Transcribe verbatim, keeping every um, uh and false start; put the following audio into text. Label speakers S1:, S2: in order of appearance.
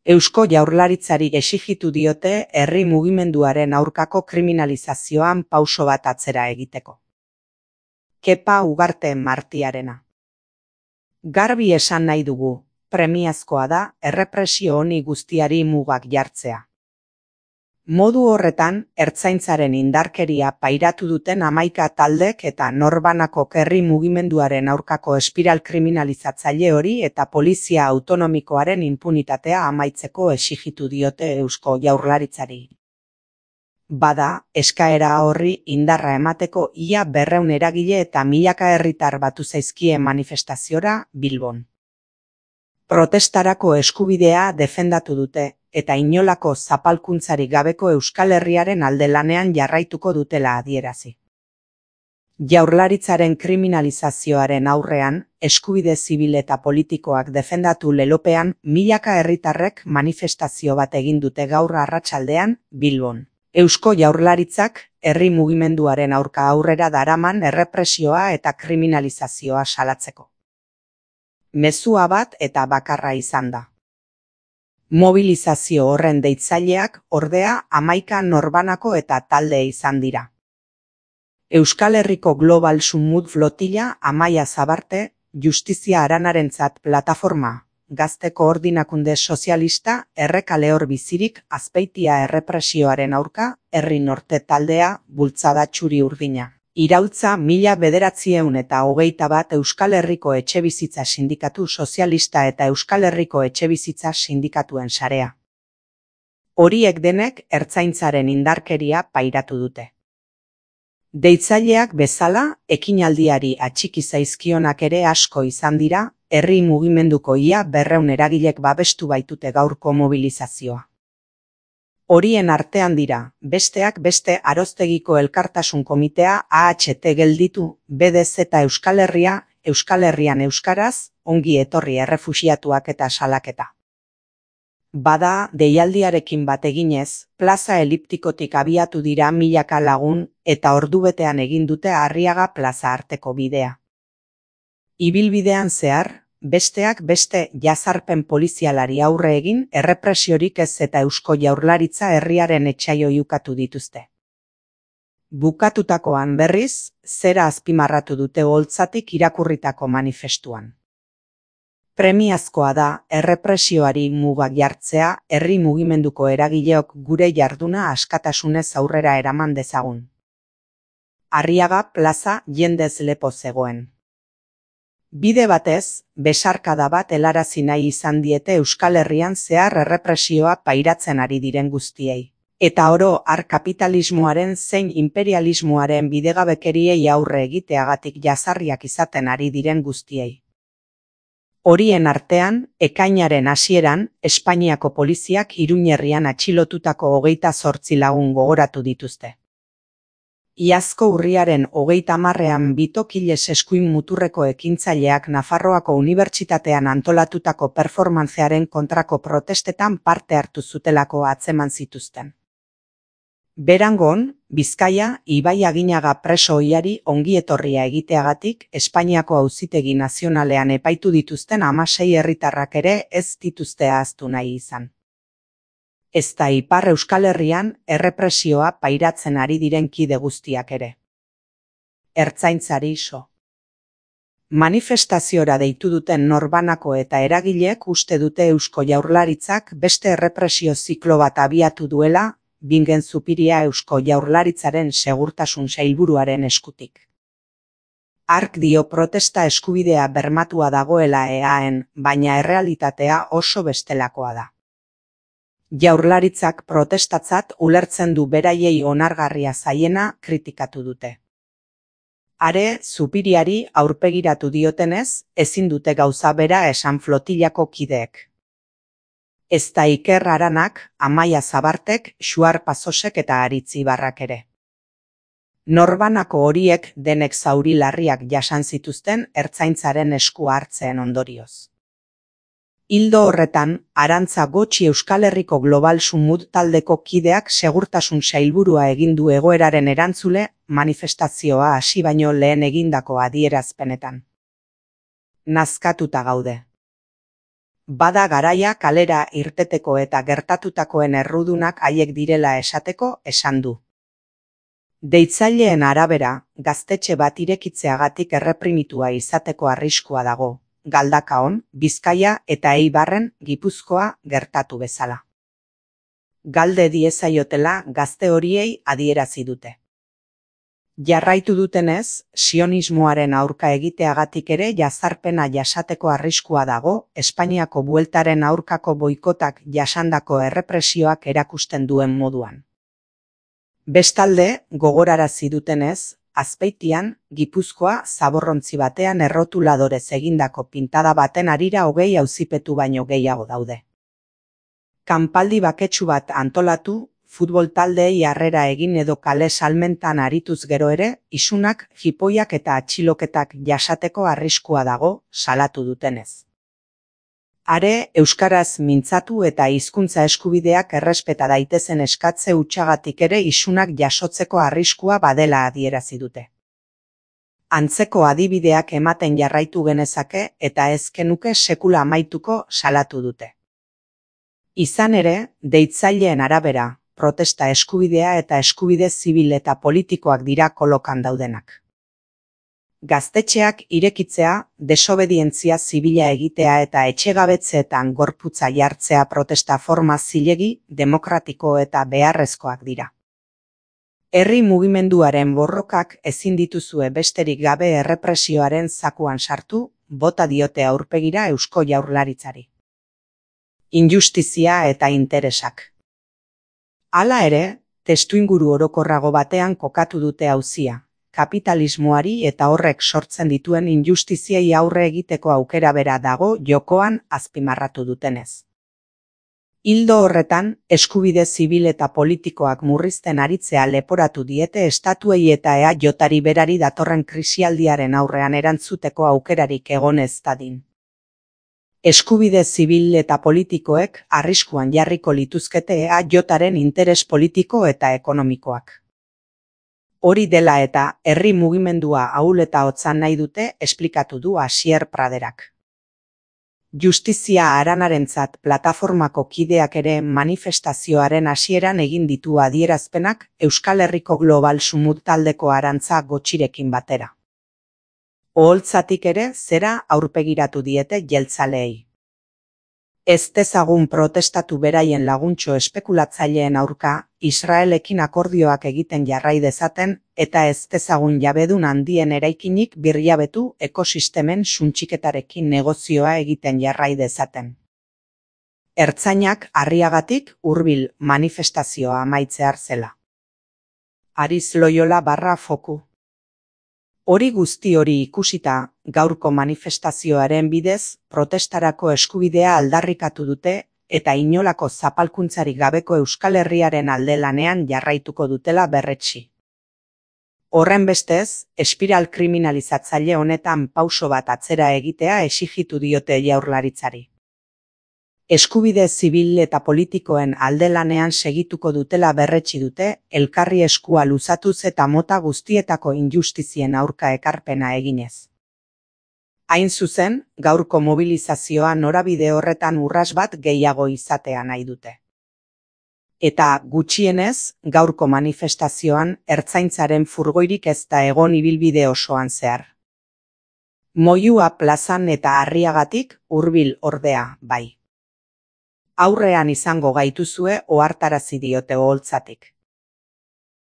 S1: Eusko Jaurlaritzari exijitu diote herri mugimenduaren aurkako kriminalizazioan pauso bat atzera egiteko. Kepa Ugarte Martiarena. Garbi esan nahi dugu, premiazkoa da errepresio honi guztiari mugak jartzea. Modu horretan, ertzaintzaren indarkeria pairatu duten hamaika taldek eta norbanako herri mugimenduaren aurkako espiral kriminalizatzaile hori eta polizia autonomikoaren inpunitatea amaitzeko exijitu diote Eusko Jaurlaritzari. Bada, eskaera horri indarra emateko ia berrehun eragile eta milaka herritar batu zaizkie manifestaziora Bilbon. Protestarako eskubidea defendatu dute, eta inolako zapalkuntzarik gabeko Euskal Herriaren alde lanean jarraituko dutela adierazi. Jaurlaritzaren kriminalizazioaren aurrean, eskubide zibil eta politikoak defendatu lelopean, milaka herritarrek manifestazio bat egin dute gaur arratsaldean Bilbon. Eusko Jaurlaritzak herri mugimenduaren aurka aurrera daraman errepresioa eta kriminalizazioa salatzeko. Mezua bat eta bakarra izan da. Mobilizazio horren deitzaileak ordea hamaika norbanako eta talde izan dira. Euskal Herriko Global Sumut Flotilla Amaia Zabarte, Justizia Aranarentzat Plataforma, Gazte Koordinakunde Sozialista, Errekale Hor Bizirik, Azpeitia errepresioaren aurka, Herri Norte taldea, Bultzada Txuri Urdina. Iraultza mila bederatzieun eta hogeita bat Euskal Herriko Etxebizitza Sindikatu Sozialista eta Euskal Herriko Etxebizitza Sindikatuen sarea. Horiek denek ertzaintzaren indarkeria pairatu dute. Deitzaileak bezala, ekinaldiari atxiki zaizkionak ere asko izan dira, herri mugimenduko ia berrehun eragilek babestu baitute gaurko mobilizazioa. Horien artean dira, besteak beste Aroztegiko Elkartasun Komitea A H T gelditu, B D Z Euskal Herria, Euskal Herrian Euskaraz, ongi etorri errefuxiatuak eta salaketa. Bada, deialdiarekin bat eginez, plaza eliptikotik abiatu dira milaka lagun eta ordubetean egin dute Arriaga plaza arteko bidea. Ibilbidean zehar, besteak beste jazarpen polizialari aurre egin errepresiorik ez eta Eusko Jaurlaritza herriaren etsaio ukatu dituzte. Bukatutakoan berriz, zera azpimarratu dute oholtzatik irakurritako manifestuan. Premiazkoa da errepresioari mugak jartzea herri mugimenduko eragileok gure jarduna askatasunez aurrera eraman dezagun. Arriaga plaza jendez lepo zegoen. Bide batez, besarkada bat helarazi nahi izan diete Euskal Herrian zehar errepresioa pairatzen ari diren guztiei. Eta oro har kapitalismoaren zein imperialismoaren bidegabekeriei aurre egiteagatik jazarriak izaten ari diren guztiei. Horien artean, ekainaren hasieran, Espainiako poliziak Iruñerrian atxilotutako hogeita zortzi lagun gogoratu dituzte. Iazko urriaren hogeita hamarrean Bitokiles eskuin muturreko ekintzaileak Nafarroako Unibertsitatean antolatutako performantzearen kontrako protestetan parte hartu zutelako atzeman zituzten. Berangon, Bizkaia, Ibai Aginaga preso ohiari ongietorria egiteagatik Espainiako Auzitegi Nazionalean epaitu dituzten hamasei herritarrak ere ez dituzte ahaztu nahi izan. Ezta Ipar Euskal Herrian errepresioa pairatzen ari diren kide guztiak ere. Ertzaintzari so. Manifestaziora deitu duten norbanako eta eragileek uste dute Eusko Jaurlaritzak beste errepresio ziklo bat abiatu duela, Bingen Zupiria Eusko Jaurlaritzaren segurtasun sailburuaren eskutik. Hark dio protesta eskubidea bermatua dagoela eaen, baina errealitatea oso bestelakoa da. Jaurlaritzak protestatzat ulertzen du beraiei onargarria zaiena kritikatu dute. Are, Zupiriari aurpegiratu diotenez, ezin dute gauza bera esan flotillako kideek. Ezta Iker Aranak, Amaia Zabartek, Xuar Pasosek eta Aritzi Barrak ere. Norbanako horiek denek zauri larriak jasan zituzten ertzaintzaren esku hartzeen ondorioz. Ildo horretan, Arantza Gotxi Euskal Herriko Global Sumut taldeko kideak segurtasun sailburua egin du egoeraren erantzule manifestazioa hasi baino lehen egindako adierazpenetan. Nazkatuta gaude. Bada garaia kalera irteteko eta gertatutakoen errudunak haiek direla esateko esan du. Deitzaileen arabera, gaztetxe bat irekitzeagatik erreprimitua izateko arriskua dago, Galdakaon, Bizkaia eta Eibarren, Gipuzkoa gertatu bezala. Galde diezaiotela gazte horiei adierazi dute. Jarraitu dutenez, sionismoaren aurka egiteagatik ere jazarpena jasateko arriskua dago, Espainiako bueltaren aurkako boikotak jasandako errepresioak erakusten duen moduan. Bestalde, gogorarazi dutenez, Azpeitian, Gipuzkoa zaborrontzi batean errotuladorez egindako pintada baten harira hogei auzipetu baino gehiago daude. Kanpaldi baketsu bat antolatu, futbol taldeei harrera egin edo kale salmentan arituz gero ere, isunak, jipoiak eta atxiloketak jasateko arriskua dago, salatu dutenez. Are, euskaraz mintzatu eta hizkuntza eskubideak errespeta daitezen eskatze hutsagatik ere isunak jasotzeko arriskua badela adierazi dute. Antzeko adibideak ematen jarraitu genezake eta ez genuke sekula amaituko salatu dute. Izan ere, deitzaileen arabera, protesta eskubidea eta eskubide zibil eta politikoak dira kolokan daudenak. Gaztetxeak irekitzea, desobedientzia zibila egitea eta etxegabetzeetan gorputza jartzea protesta forma zilegi, demokratiko eta beharrezkoak dira. Herri mugimenduaren borrokak ezin dituzue besterik gabe errepresioaren zakuan sartu, bota diote aurpegira Eusko Jaurlaritzari. Injustizia eta interesak. Hala ere, testuinguru orokorrago batean kokatu dute auzia, kapitalismoari eta horrek sortzen dituen injustiziei aurre egiteko aukera bera dago jokoan azpimarratu dutenez. Ildo horretan, eskubide zibil eta politikoak murrizten aritzea leporatu diete estatuei eta E A Jari berari datorren krisialdiaren aurrean erantzuteko aukerarik egon ez dadin. Eskubide zibil eta politikoek arriskuan jarriko lituzkete E A Jaren interes politiko eta ekonomikoak. Hori dela eta herri mugimendua ahul eta hotzan nahi dute esplikatu du Asier Praderak. Justizia Haranarentzat plataformako kideak ere manifestazioaren hasieran egin ditu adierazpenak Euskal Herriko Global Sumut taldeko Arantza Gotxirekin batera. Oholtzatik ere zera aurpegiratu diete jeltzaleei. Ez dezagun protestatu beraien laguntxo espekulatzaileen aurka, Israelekin akordioak egiten jarrai dezaten, eta ez dezagun jabedun handien eraikinik birjabetu ekosistemen suntxiketarekin negozioa egiten jarrai dezaten. Ertzainak harriagatik hurbil manifestazioa amaitzear zela. Ariz Loyola barra foku. Hori guzti hori ikusita, gaurko manifestazioaren bidez, protestarako eskubidea aldarrikatu dute eta inolako zapalkuntzarik gabeko Euskal Herriaren alde lanean jarraituko dutela berretsi. Horren bestez, espiral kriminalizatzaile honetan pauso bat atzera egitea exigitu diote Jaurlaritzari. Eskubide zibil eta politikoen alde lanean segituko dutela berretsi dute, elkarri eskua luzatuz eta mota guztietako injustizien aurka ekarpena eginez. Hain zuzen, gaurko mobilizazioa norabide horretan urras bat gehiago izatea nahi dute. Eta, gutxienez, gaurko manifestazioan ertzaintzaren furgoirik ez da egon ibilbide osoan zehar. Moyua plazan eta Arriagatik hurbil ordea, bai. Aurrean izango gaituzue ohartarazi diote oholtzatik.